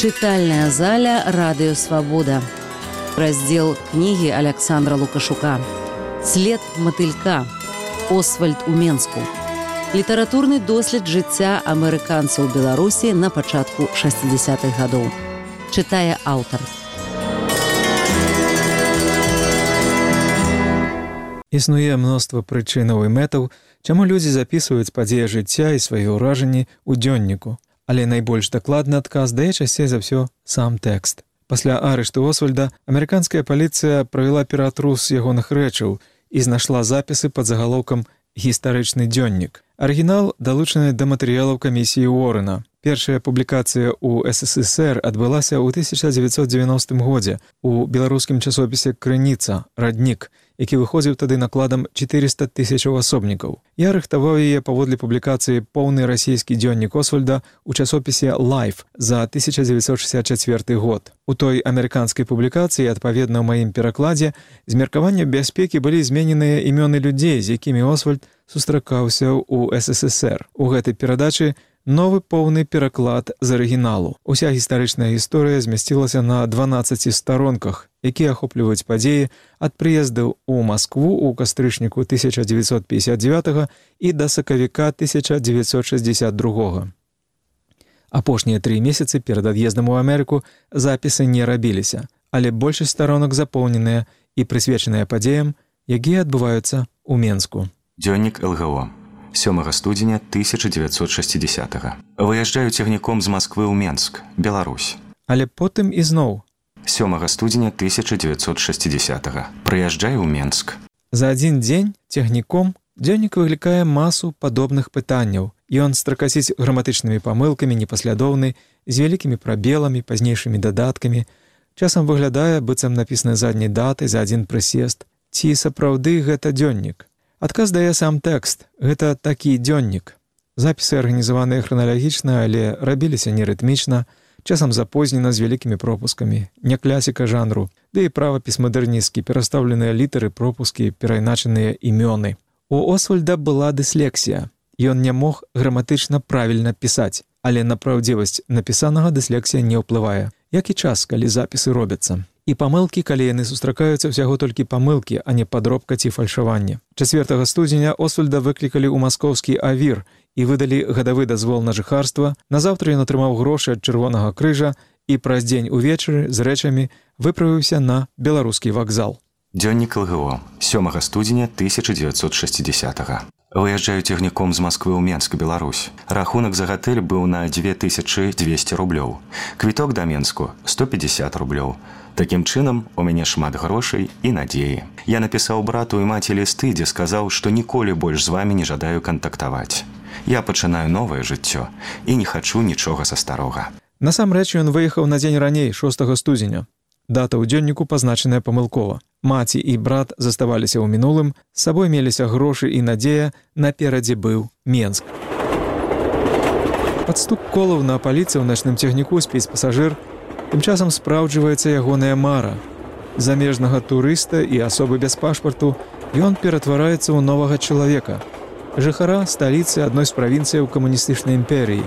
Чытальная заля «Радыё Свабода». Раздзел кнігі Аляксандра Лукашука. «След матылька. Освальд у Менску». Літаратурны дослед жыцця амерыканцаў у Беларусі на пачатку 60-х гадоў. Чытае аўтар. Існуе мноства прычынаў і мэтаў, чаму людзі запісваюць падзеі жыцця і свае ўражанні ў дзённіку. Але найбольш дакладны адказ дае часцей за ўсё сам тэкст. Пасля арышту Освальда амерыканская паліцыя правяла ператрус ягоных рэчаў і знайшла запісы пад загалоўкам «Гістарычны дзённік». Арыгінал далучаны да матэрыялаў камісіі Уоррена. Першая публікацыя ў СССР адбылася ў 1990 годзе у беларускім часопісе «Крыніца. Раднік», які выходзіў тады накладам 400 000 асобнікаў. Я рыхтаваў яе паводле публікацыі «Поўны расійскі дзённік Освальда» у часопісе «Life» за 1964 год. У той амерыканскай публікацыі, адпаведна ў маім перакладзе, з меркавання бяспекі былі змененыя імёны людзей, з якімі Освальд сустракаўся ў СССР. У гэтай перадачы новы поўны пераклад з арыгіналу. Уся гістарычная гісторыя змясцілася на 12 сторонках, якія ахопліваюць падзеі ад прыездаў у Маскву ў кастрычніку 1959 і да сакавіка 1962. Апошнія 3 месяцы перад ад'ездам у Амерыку запісы не рабіліся, але большасць старонак запоўненыя і прысвечаныя падзеям, якія адбываюцца ў Менску. Дзённік ЛГО. 7 студзеня 1960-го. Выязджаю цягніком з Масквы ў Менск, Беларусь. Але потым ізноў. 7 студзеня 1960-го. Прыязджаю ў Менск. За адзін дзень цягніком дзённік выклікае масу падобных пытанняў. Ён стракасіць граматычнымі памылкамі, непаслядоўны, з вялікімі прабеламі, пазнейшымі дадаткамі. Часам выглядае, быццам напісаны задняй датай за адзін прысест. Ці сапраўды гэта дзённік? Адказ дае сам тэкст. Гэта такі дзённік. Запісы арганізаваныя храналагічна, але рабіліся нерытмічна, часам запознена з вялікімі пропускамі. Не класіка жанру, ды і правапіс мадэрнісцкі, перастаўленыя літары, пропускі, перайначаныя імёны. У Освальда была дыслексія. Ён не мог граматычна правільна пісаць, але на праўдзівасць напісанага дыслексія не ўплывае, як і час, калі запісы робяцца. І памылкі, калі яны сустракаюцца, ўсяго толькі памылкі, а не падробка ці фальшаванне. 4 студзеня Освальда выклікалі ў маскоўскі авір і выдалі гадавы дазвол на жыхарства. Назаўтра ён атрымаў грошы ад Чырвонага крыжа і праз дзень увечары з рэчамі выправіўся на беларускі вакзал. Дзённік ЛГО. 7 студзеня 1960-го. Выязджаю цягніком з Масквы ў Менск, Беларусь. Рахунак за гатэль быў на 2200 рублёў. Квіток да Менску 150 рублёў. Такім чынам, у мяне шмат грошай і надзеі. Я напісаў брату і маці лісты, дзе сказаў, што ніколі больш з вамі не жадаю кантактаваць. Я пачынаю новае жыццё і не хачу нічога са старога. Насамрэч ён выехаў на дзень раней, 6 студзеня. Дата ў дзённіку пазначаная памылкова. Маці і брат заставаліся ў мінулым, з сабой меліся грошы і надзея, наперадзе быў Менск. Пад стук колаў на паліцы ў начным цягніку спіць пасажыр, тым часам спраўджваецца ягоная мара. Замежнага турыста і асобы без пашпарту ён ператвараецца ў новага чалавека, жыхара сталіцы адной з правінцыяў камуністычнай імперіі,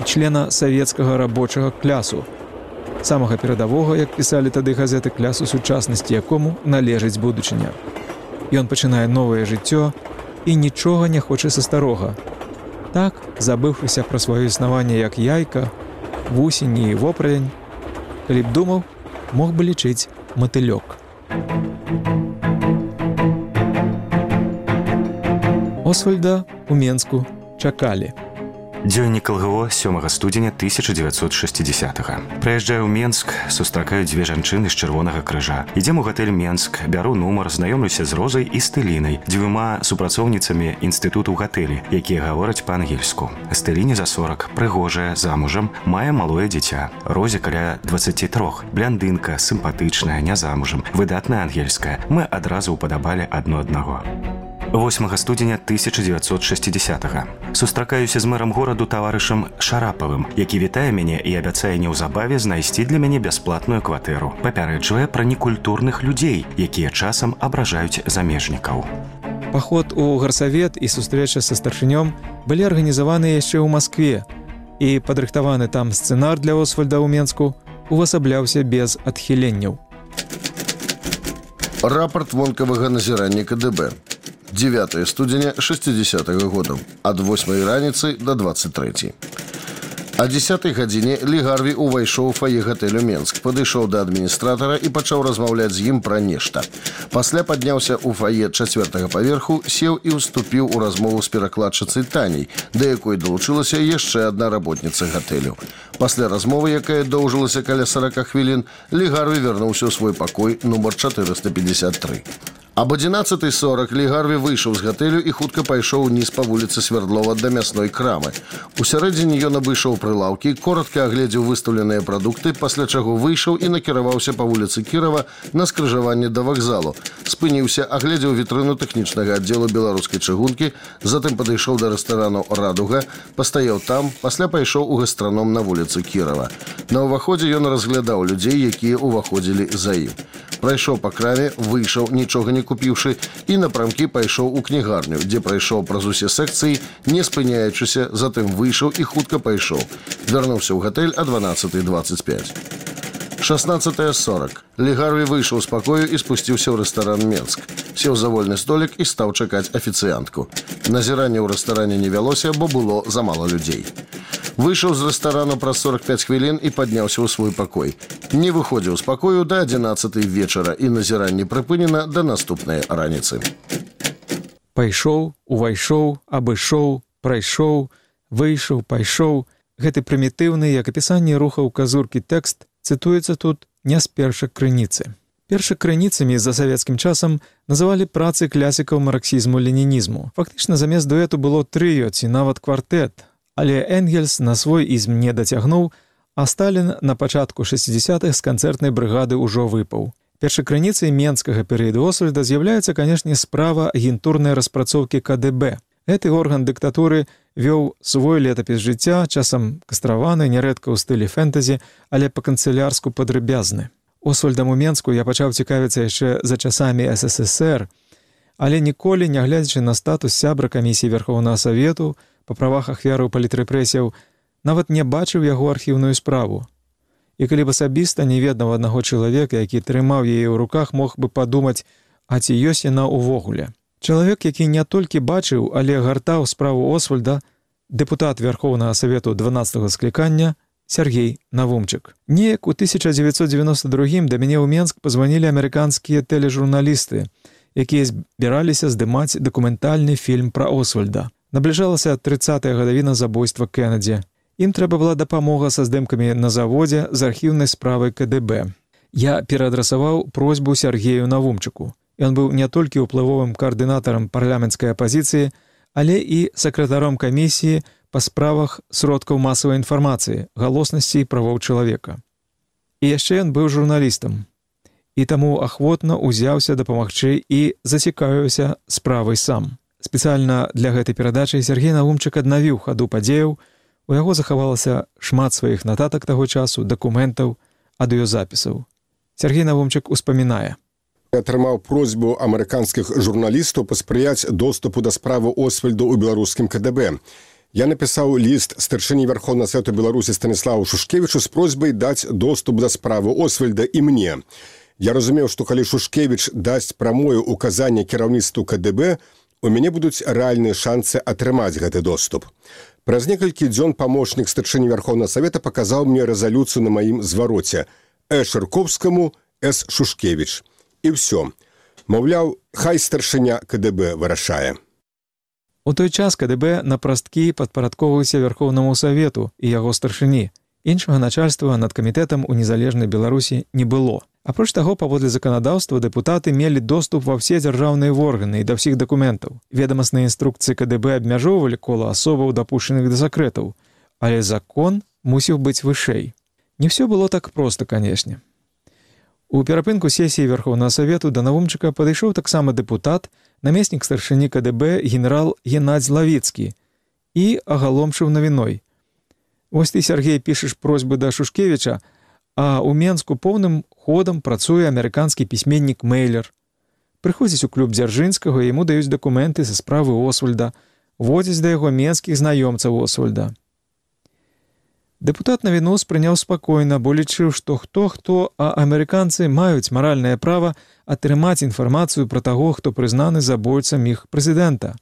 члена савецкага рабочага клясу, самага перадавога, як пісалі тады газеты, клясу сучаснасці, якому належыць будучыня. Ён пачынае новае жыццё і нічога не хоча са старога. Так, забыўшыся пра сваё існаванне як яйка, вусень і воправень, калі б думаў, мог бы лічыць матылёк. Освальда у Менску чакалі. Дзённік ЛГО. 7 студзеня 1960-го. Прыязджаю ў Менск, сустракаю 2 жанчыны з Чырвонага крыжа. Ідзем у гатэль Менск, бяру нумар, знаёмлюся з Розай і Стэлінай, 2 супрацоўніцамі інстытуту ў гатэлі, якія гавораць па-ангельску. Стэліне за 40, прыгожая, замужам, мае малое дзіця. Розе каля 23, бляндынка, сімпатычная, не замужам, выдатная ангельская. Мы адразу ўпадабалі адно аднаго. 8 студзеня 1960-го. Сустракаюся з мэрам гораду таварышам Шарапавым, які вітае мяне і абяцае неўзабаве знайсці для мяне бясплатную кватэру. Папярэджвае пра некультурных людзей, якія часам абражаюць замежнікаў. Паход у гарсавет і сустрэча са старшынём былі арганізаваныя яшчэ ў Маскве. і падрыхтаваны там сцэнар для Освальда ў Менску увасабляўся без адхіленняў. Рапорт вонкавага назірання КДБ. 9 студзеня 60-го года. Ад 8 раніцы до 23. О 10 гадзіне Лі Гарві увайшоў у фае гатэлю Менск, падышоў да адміністратара і пачаў размаўляць з ім пра нешта. Пасля падняўся ў фае 4-го паверху, сеў і ўступіў у размову з перакладчыцай Таняй, да якой далучылася яшчэ адна работніца гатэлю. Пасля размовы, якая доўжылася каля 40 хвілін, Лі Гарві вярнуўся ў свой пакой нумар 453. Об 11:40 Лі Гарві выйшаў з гатэлю і хутка пайшоў униз па вуліцы Свердлова да мясной крамы. У сярэдзіне ён абышоў прылаўкі, коротка агледзеў выстаўленыя прадукты, пасля чаго выйшаў і накіраваўся па вуліцы Кірова на скрыжаванне да вакзалу. Спыніўся, агледзеў вітрыну тэхнічнага аддзелу беларускай чыгункі, затым падышоў да рэстарану «Радуга», пастаяў там, пасля пайшоў у гастраном на вуліцы Кірова. На ўваходзе ён разглядаў людзей, якія ўваходзілі за ім. Прайшоў па краме, выйшаў, нічога не купіўшы, і напрамкі пайшоў у кнігарню, дзе прайшоў праз усе секцыі, не спыняючыся, затым выйшаў і хутка пайшоў. Вярнуўся ў гатэль о 12:25. 16:40. Лі Гарві выйшаў з пакою і спусціўся ў рэстаран «Менск». Сеў за вольны столік і стаў чакаць афіцыянтку. Назіранне ў рэстаране не вялося, бо было замала людзей. Выйшаў з рэстарану праз 45 хвілін і падняўся ў свой пакой. Не выходзіў з пакою да 11 вечара і назіранне прыпынена да наступнай раніцы. Пайшоў, увайшоў, абышоў, прайшоў, выйшаў, пайшоў. Гэты прымітыўны, як апісанне рухаў казуркі тэкст, цытуецца тут не з першых крыніцы. Першакрыніцамі за савецкім часам называлі працы клясікаў марксізму-ленінізму. Фактычна замест дуэту было трыё ці нават квартэт, але Энгельс на свой ізм не дацягнуў, а Сталін на пачатку 60-х з канцэртнай брыгады ўжо выпаў. Першакрыніцай менскага перыяду Освальда з'яўляецца, канешне, справа агентурнай распрацоўкі КДБ. Гэты орган дыктатуры вёў свой летапіс жыцця, часам кастраваны, нярэдка ў стылі фэнтэзі, але па-канцылярску падрабязны. Освальдам у Менску я пачаў цікавіцца яшчэ за часамі СССР, але ніколі, не глядзячы на статус сябра камісіі Верхоўнага Савету па правах ахвяраў палітрэпрэсіяў, нават не бачыў яго архіўную справу. І калі б асабіста не ведаў аднаго чалавека, які трымаў яе ў руках, мог бы падумаць, а ці ёсць яна ўвогуле. Чалавек, які не толькі бачыў, але гартаў справу Освальда, дэпутат Верхоўнага Савету 12-го склікання Сергей Навумчык. Неяк у 1992 да мяне ў Менск пазванілі амерыканскія тэлежурналісты, якія збіраліся здымаць дакументальны фільм пра Освальда. Набліжалася 30-я гадавіна забойства Кеннеді. Ім трэба была дапамога са здымкамі на заводзе з архіўнай справай КДБ. Я пераадрасаваў просьбу Сергею Навумчыку. Ён быў не толькі ўплывовым каардынатарам парламенцкай апазіцыі, але і сакратаром камісіі па справах сродкаў масавай інфармацыі, галоснасці і правоў чалавека. І яшчэ ён быў журналістам. І таму ахвотна ўзяўся дапамагчы і зацікавіўся справай сам. Спецыяльна для гэтай перадачы Сергей Навумчык аднавіў хаду падзеяў, у яго захавалася шмат сваіх нататак таго часу, дакументаў, аўдыёзапісаў. Сергей Навумчык успамінае. Атрымаў просьбу амерыканскіх журналістаў паспрыяць доступу да справы Освальда ў беларускім КДБ. Я напісаў ліст старшыні Верхоўнага Савету Беларусі Станіславу Шушкевічу з просьбай даць доступ да справы Освальда і мне. Я разумеў, што калі Шушкевіч дасць прамое указанне кіраўніцтву КДБ, у мяне будуць рэальныя шансы атрымаць гэты доступ. Праз некалькі дзён памочнік старшыні Верхоўнага Савета паказаў мне рэзалюцыю на маім звароце Шарковскаму, С. Шушкевіч. І ўсё. Маўляў, хай старшыня КДБ вырашае. У той час КДБ на прасткі падпарадковваўся Верхоўнаму Савету і яго старшыні. Іншага начальства над камітэтам у незалежнай Беларусі не было. Апроч таго, паводле заканадаўства, дэпутаты мелі доступ ва ўсе дзяржаўныя органы і да ўсіх дакументаў. Ведамасныя інструкцыі КДБ абмяжоўвалі кола асобаў, дапушчаных да сакрэтаў. Але закон мусіў быць вышэй. Не ўсё было так проста, канешне. У перапынку сесіі Верхоўнага Савету да Навумчыка падышоў таксама дэпутат, намеснік старшыні КДБ генерал Геннадзь Лавіцкі і агаломшыў навіной. Вось ты, Сергей, пішаш просьбы да Шушкевіча, а ў Менску поўным ходам працуе амерыканскі пісьменнік Мэйлер. Прыходзіць у клуб Дзяржынскага, яму даюць дакументы са справы Освальда, водзяць да яго менскіх знаёмцаў Освальда. Дэпутат навіну спрыняў спакойна, бо лічыў, што хто, а амерыканцы маюць маральнае права атрымаць інфармацыю пра таго, хто прызнаны забойцам іх прэзідэнта.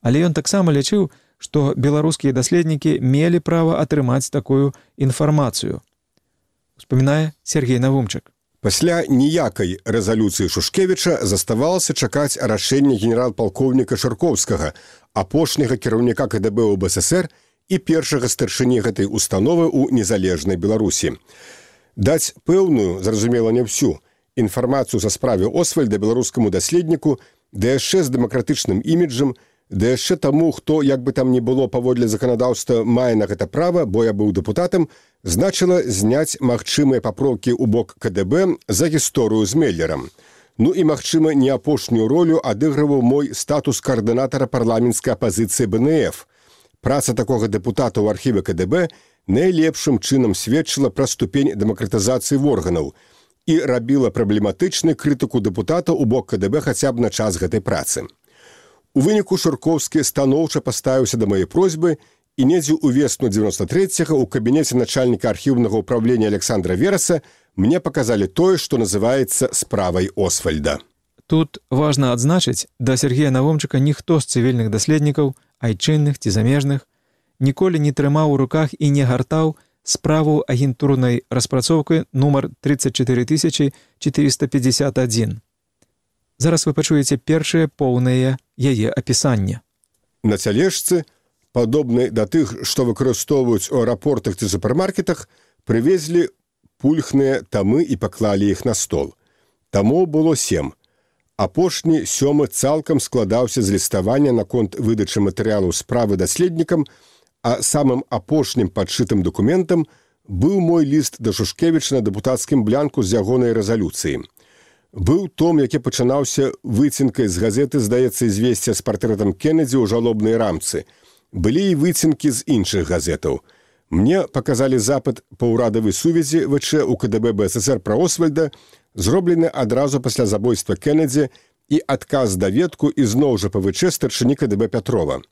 Але ён таксама лічыў, што беларускія даследнікі мелі права атрымаць такую інфармацыю. Успамінае Сергей Навумчык. Пасля ніякай рэзалюцыі Шушкевіча заставалася чакаць рашэння генерал-палкоўніка Шаркоўскага, апошняга кіраўніка КДБ ў БССР і першага старшыні гэтай установы ў незалежнай Беларусі. Даць пэўную, зразумела не ўсю, інфармацыю за справе Освальда беларускаму даследніку, да яшчэ з дэмакратычным іміджам, да яшчэ таму, хто, як бы там ні было паводле заканадаўства, мае на гэта права, бо я быў дэпутатам, значыла зняць магчымыя папроўкі ў бок КДБ за гісторыю з Меллерам. Ну і, магчыма, не апошнюю ролю адыгрываў мой статус каардынатара парламенцкай апазіцыі БНФ. Праца такога дэпутата ў архіве КДБ найлепшым чынам сведчыла пра ступень дэмакратызацыі органаў і рабіла праблематычнай крытыку дэпутата ў бок КДБ хаця б на час гэтай працы. У выніку Шурковскі станоўча паставіўся да маёй просьбы і недзе ўвесну 93-го ў кабінеце начальніка архіўнага ўправлення Александра Вераса мне паказалі тое, што называецца справай Освальда. Тут важна адзначыць, да Сергея Навумчыка ніхто з цывільных даследнікаў, айчынных ці замежных, ніколі не трымаў у руках і не гартаў справу агентурнай распрацоўкай нумар 34451. Зараз вы пачуеце першае поўнае яе апісанне. На цялежцы, падобнай да тых, што выкарыстоўваюць у аэрапортах ці супермаркетах, прывезлі пульхныя тамы і паклалі іх на стол. Тамоў было 7. Апошні 7 цалкам складаўся з ліставання наконт выдачы матэрыялаў справы даследнікам, а самым апошнім падшытым дакументам быў мой ліст да Шушкевіча на дэпутацкім блянку з ягонай рэзалюцыі. Быў том, які пачынаўся выцінкай з газеты, здаецца, «Известия» з партрэтам Кеннеді ў жалобнай рамцы. Былі і выцінкі з іншых газетаў. Мне паказалі запыт па ўрадавай сувязі ВЧ у КДБ БССР пра Освальда, зроблены адразу пасля забойства Кеннеді і адказ даведку ізноў жа па ВЧ старшыні КДБ Пятрова.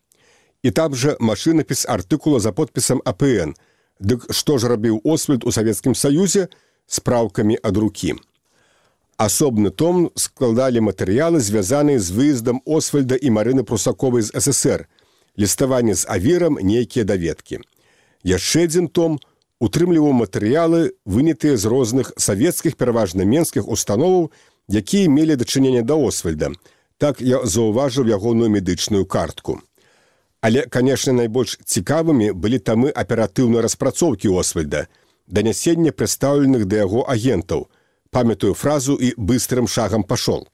І там жа машынапіс артыкула за подпісам АПН. Дык што ж рабіў Освальд у Савецкім Саюзе? Спраўкамі ад рукі. Асобны том складалі матэрыялы, звязаныя з выездам Освальда і Марыны Прусаковай з СССР, ліставанне з авірам, нейкія даведкі. Яшчэ адзін том утрымліваў матэрыялы, вынятыя з розных савецкіх, пераважна менскіх установаў, якія мелі дачыненне да Освальда. Так я заўважыў ягоную медычную картку. Але, канешне, найбольш цікавымі былі тамы аператыўнай распрацоўкі Освальда, данясення прадстаўленых да яго агентаў, памятаю фразу і быстрым шагам пашол.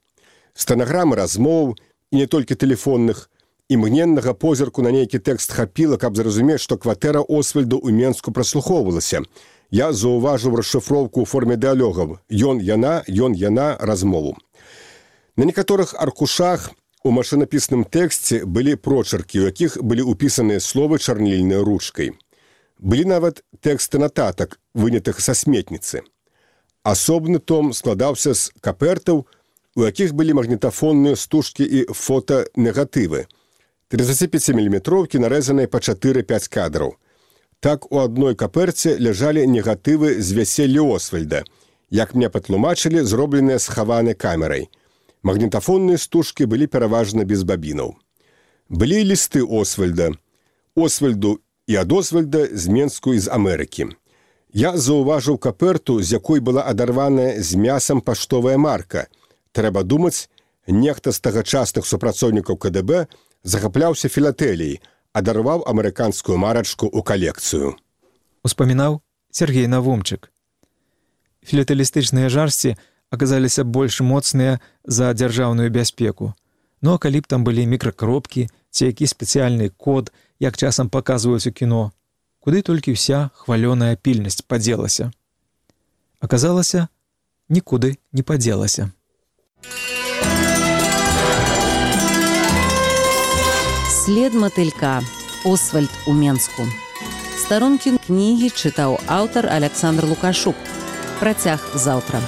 Стэнаграмы размоў, і не толькі тэлефонных, імгненнага позірку на нейкі тэкст хапіла, каб зразумець, што кватэра Освальда ў Менску праслухоўвалася. Я заўважыў расшыфроўку ў форме дыалогаў «Ён, яна» размову. На некаторых аркушах у машынапісным тэксце былі прочеркі, у якіх былі ўпісаныя словы чарнільнай ручкай. Былі нават тэксты нататак, вынятых са сметніцы. Асобны том складаўся з капертаў, у якіх былі магнітафонныя стужкі і фотонегатывы. 35-мм нарэзаныя па 4-5 кадраў. Так у адной каперце ляжалі негатывы з вяселля Освальда, як мне патлумачылі, зробленыя схаванай камерай. Магнітафонныя стужкі былі пераважна без бабінаў. Былі лісты Освальда. Освальду і ад Освальда з Менску і з Амерыкі. Я заўважыў каперту, з якой была адарваная з мясам паштовая марка. Трэба думаць, нехта з тагачасных супрацоўнікаў КДБ захапляўся філатэліяй, адарваў амерыканскую марачку ў калекцыю. Успамінаў Сергей Навумчык. Філатэлістычныя жарсці аказаліся больш моцныя за дзяржаўную бяспеку. Ну а калі б там былі мікракропкі ці які спецыяльны код, як часам паказваюць у кіно, куды толькі ўся хвалёная пільнасць падзелася. Аказалася, нікуды не падзелася. След матылька. Освальд у Менску. Старонкі кнігі чытаў аўтар Александр Лукашук. Працяг заўтра.